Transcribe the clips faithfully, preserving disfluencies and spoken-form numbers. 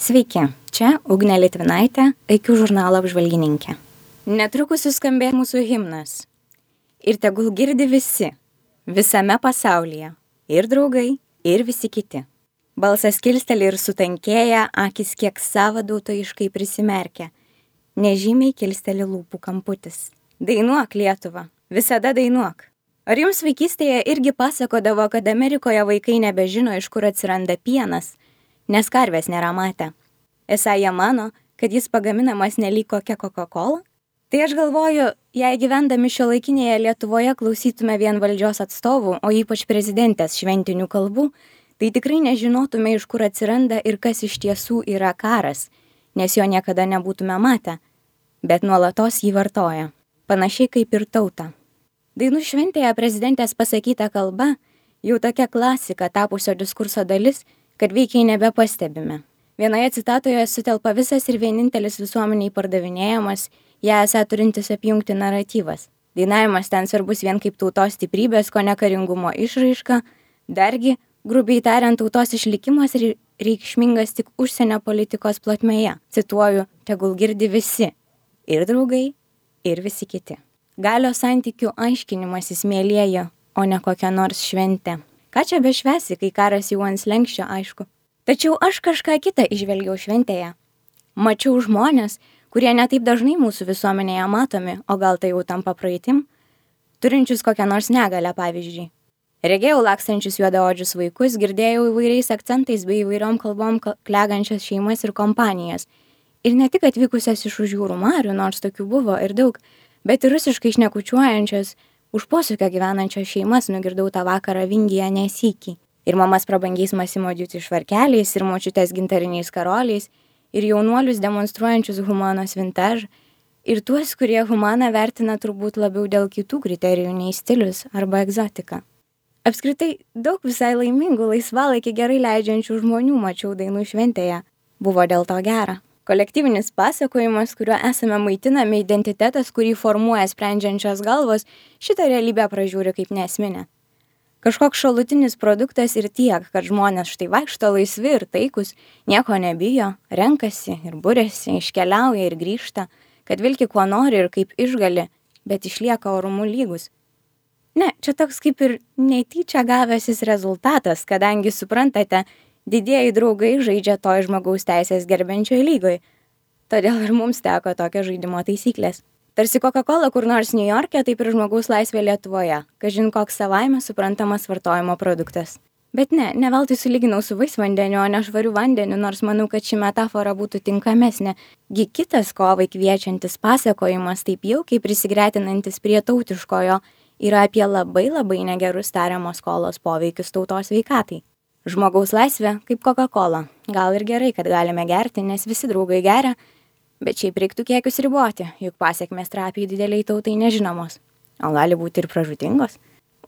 Sveiki, čia Ugnė Litvinaitė, I Q žurnalo apžvalgininkė. Netrukus suskambės mūsų himnas. Ir tegul girdi visi, visame pasaulyje, ir draugai, ir visi kiti. Balsas kilsteli ir sutankėja, akis kiek savadautojiškai prisimerkia. Nežymiai kilsteli lūpų kamputis. Dainuok, Lietuva, visada dainuok. Ar jums vaikystėje irgi pasakodavo, kad Amerikoje vaikai nebežino, iš kur atsiranda pienas, nes karvės nėra matę? Esą jie mano, kad jis pagaminamas nelyg kokia Coca-Cola? Tai aš galvoju, jei gyvendami šiuolaikinėje Lietuvoje klausytume vien valdžios atstovų, o ypač prezidentės šventinių kalbų, tai tikrai nežinotume, iš kur atsiranda ir kas iš tiesų yra karas, nes jo niekada nebūtume matę, bet nuolatos jį vartoja, panašiai kaip ir tauta. Dainų šventėje prezidentės pasakyta kalba jau tokia klasika tapusio diskurso dalis, kad veikiai nebepastebime. Vienoje citatoje sutelpa visas ir vienintelis visuomeniai pardavinėjamas, ją esą turintis apjungti naratyvas. Dainavimas ten svarbus vien kaip tautos stiprybės, ko nekaringumo išraiška, dargi, grubiai tariant, tautos išlikimas ir reikšmingas tik užsienio politikos plotmėje. Cituoju, tegul girdi visi, ir draugai, ir visi kiti. Galios santykių aiškinimasis mėlėja, o ne kokia nors šventė. Ką čia bešvesi, kai karas jau ant slenksčio, aišku. Tačiau aš kažką kitą išvelgiau šventėje. Mačiau žmonės, kurie netaip dažnai mūsų visuomenėje matomi, o gal tai jau tampa praeitim, turinčius kokią nors negalę, pavyzdžiui. Regėjau lakstančius juodaodžius vaikus, girdėjau įvairiais akcentais bei įvairiom kalbom klegančias šeimas ir kompanijas. Ir ne tik atvykusias iš už jūrų marių, nors tokių buvo ir daug, bet ir rusiškai šnekučiuojančias, už posūkio gyvenančios šeimas nugirdau tą vakarą Vingyje ne sykį. Ir mamas prabangiais Massimo Dutti švarkeliais, ir močiutės gintariniais karoliais, ir jaunuolius demonstruojančius humanos vintage, ir tuos, kurie humaną vertina turbūt labiau dėl kitų kriterijų nei stilius arba egzotika. Apskritai, daug visai laimingų, laisvalaikį gerai leidžiančių žmonių mačiau dainų šventėje. Buvo dėl to gera. Kolektyvinis pasakojimas, kuriuo esame maitinami, identitetas, kurį formuoja sprendžiančios galvos, šitą realybę pražiūri kaip neesminę. Kažkoks šalutinis produktas ir tiek, kad žmonės štai vaikšto laisvi ir taikus, nieko nebijo, renkasi ir buriasi, iškeliauja ir grįžta, kad vilki kuo nori ir kaip išgali, bet išlieka orumu lygus. Ne, čia toks kaip ir netyčia gavęsis rezultatas, kadangi suprantate, didieji draugai žaidžia toj žmogaus teisės gerbiančioj lygoj. Todėl ir mums teko tokio žaidimo taisyklės. Tarsi Coca-Cola kur nors Niujorke, taip ir žmogaus laisvė Lietuvoje. Kažin koks savaime suprantamas vartojimo produktas. Bet ne, ne veltui sulyginau su vaisvandeniu, o ne švariu vandeniu, nors manau, kad ši metafora būtų tinkamesnė. Gi kitas kovai kviečiantis pasakojimas, taip jaukiai prisigretinantis prie tautiškojo, yra apie labai labai negerus tariamos skolos poveikius tautos sveikatai. Žmogaus laisvė kaip Coca-Cola. Gal ir gerai, kad galime gerti, nes visi draugai geria, bet šiaip reiktų kiekius riboti, juk pasiekmės trapiai dideliai tautai nežinomos, o gali būti ir pražūtingos.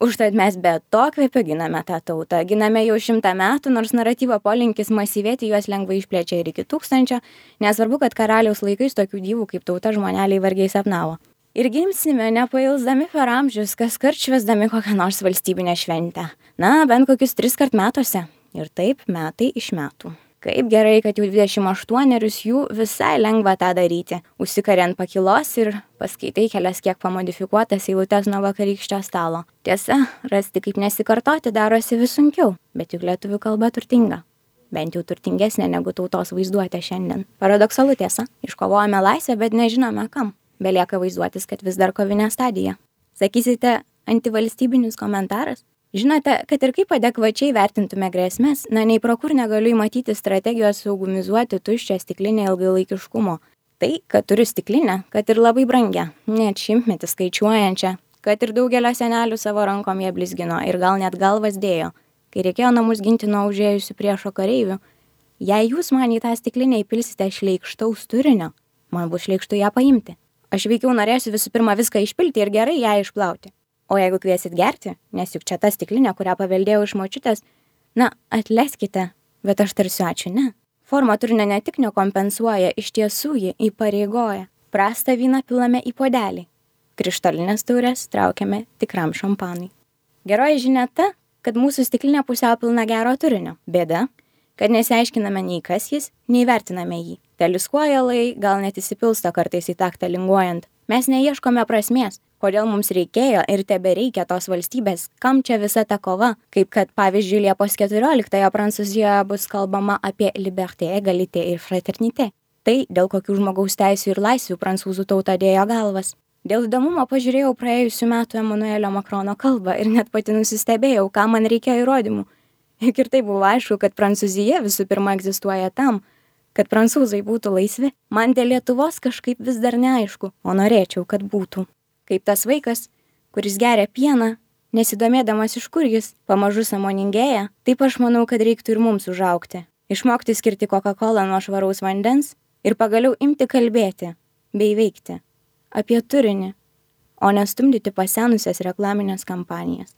Užtat mes be to kvepio giname tą tautą, giname jau šimtą metų, nors naratyvo polinkis masyvėti juos lengvai išplečia ir iki tūkstančio, nesvarbu, kad karaliaus laikais tokių dievų kaip tauta žmoneliai vargiai sapnavo. Ir gimsime nepailsdami per amžius, kaskart švęsdami kokią nors valstybinę šventę. Na, bent kokius tris kart metuose. Ir taip metai iš metų. Kaip gerai, kad jau dvidešimt aštuonerius jų visai lengva tą daryti. Užsikari ant pakilos ir paskaitai kelias kiek pamodifikuotas eilutes nuo vakarykščio stalo. Tiesa, rasti kaip nesikartoti darosi vis sunkiau, bet juk lietuvių kalba turtinga. Bent jau turtingesnė negu tautos vaizduotė šiandien. Paradoksalu tiesa, iškovojame laisvę, bet nežinome kam. Belieka vaizduotis, kad vis dar kovinė stadija. Sakysite, antivalstybinis komentaras? Žinote, kad ir kaip adekvačiai vertintume grėsmės, na nei pro kur negaliu įmatyti strategijos saugumizuoti tuščią stiklinę ilgalaikiškumo. Tai, kad turiu stiklinę, kad ir labai brangią, net šimtmetį skaičiuojančią, kad ir daugelio senelių savo rankom jie blizgino ir gal net galvas dėjo, kai reikėjo namus ginti nuo užėjusių priešo kareivių. Jei jūs man į tą stiklinę įpilsite šleikštaus turinio, man bus šleikštų ją paimti. Aš veikiau norėsiu visų pirma viską išpilti ir gerai ją išplauti. O jeigu kviesit gerti, nes juk čia ta stiklinė, kurią paveldėjau iš močiutės, na, atleiskite, bet aš tarsiu ačiū, ne. Forma turinio ne tik nekompensuoja, iš tiesų ji įpareigoja. Prastą vyną pilame į puodelį. Krištolinės taurės traukiame tikram šampanui. Geroji žinia ta, kad mūsų stiklinė pusiau pilna gero turinio. Bėda, kad nesiaiškiname nei kas jis, nei vertiname jį. Teliskuojalai gal net įsipilsta kartais į taktą linguojant. Mes neieškome prasmės, kodėl mums reikėjo ir tebereikia tos valstybės, kam čia visa ta kova, kaip kad pavyzdžiui Liepos keturioliktąją Prancūzijoje bus kalbama apie liberté, égalité ir fraternité. Tai, dėl kokių žmogaus teisių ir laisvių prancūzų tauta dėjo galvas. Dėl įdomumo pažiūrėjau praėjusių metų Emanuelio Makrono kalbą ir net pati nusistebėjau, ką man reikėjo įrodymų. Juk ir tai buvo aišku, kad Prancūzija visų pirma egzistuoja tam, kad prancūzai būtų laisvi. Man dėl Lietuvos kažkaip vis dar neaišku, o norėčiau, kad būtų. Kaip tas vaikas, kuris geria pieną, nesidomėdamas iš kur jis, pamažu sąmoningėja, taip aš manau, kad reiktų ir mums užaugti. Išmokti skirti Coca-Colą nuo švaraus vandens ir pagaliau imti kalbėti bei veikti apie turinį, o nestumdyti pasenusias reklaminės kampanijas.